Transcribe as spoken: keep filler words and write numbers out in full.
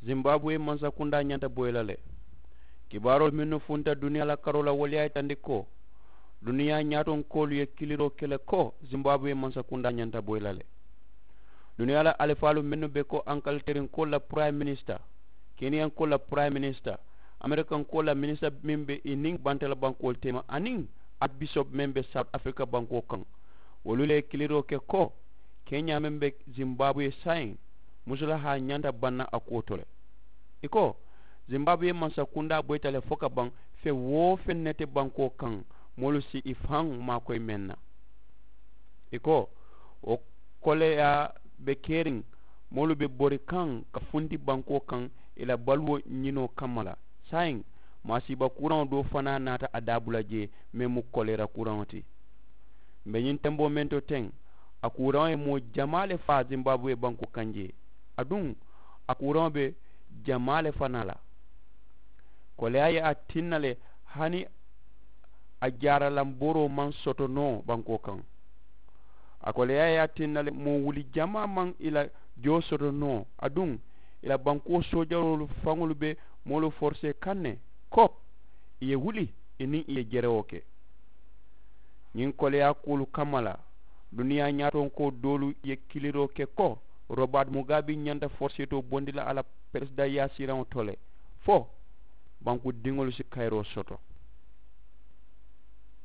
Zimbabwe mansakundaa ñanta boyi la le. Kibaaroolu mennu funta duniyaa la karoo la wolu ye a yitandi ko duniyaa ñaatonkoolu ye kiliroo ke le ko zimbabwe mansakundaa ñanta boyi la le. Duniyaa la alifaalu mennu be ko ankalterinkoolu la purayi minisita, keniyankoolu la purayi minisita, amerikankoolu la minisita meŋ be i niŋ bantala bankoolu teema aniŋ, abisopu meŋ be sawuti afirika bankoo kaŋ, wolu le ye kiliroo ke ko keñaa meŋ be zimbabwe saayiŋ, musulahaa ñanta baŋ na a kuwo to le. I ko zimbabwe mansakundaa boyita le fo ka baŋ. Feŋ woo feŋ ne te bankoo kaŋ moolu si i faŋ maakoyi meŋ na. I ko wo koleyaa be keriŋ moolu be bori kaŋ ka funti bankoo kaŋ i la baluwo ñinoo kamma la. Saayiŋ maasiiba kuraŋo doo fanaa naata a daabula jee meŋ mu koleera kuraŋo ti. Mbe ñiŋ temboo meŋ to teŋ a kuraŋo ye moo jamaa le faa zimbabwe bankoo kaŋ jee. Aduŋ a kuraŋo be jamaa le fanaa la. Koleyaa ye a tinna le hani a jaaralamboroo maŋ soto noo bankoo kaŋ. A koleyaa ye a tinna le moo wuli jamaa maŋ i la joo soto noo aduŋ i la bankoo soojaroolu faŋolu be moolu forisee kaŋ ne ko i ye wuli i niŋ i ye jerewoo ke. Ñiŋ koleyaa kuwolu kamma la duniyaa ñaatonkoo doolu ye kiliroo ke ko robaati mugaabi ñanta foriseetoo bondi la a la peresidaŋ yaasiraŋo to le fo banku diŋolu si kayiroo soto.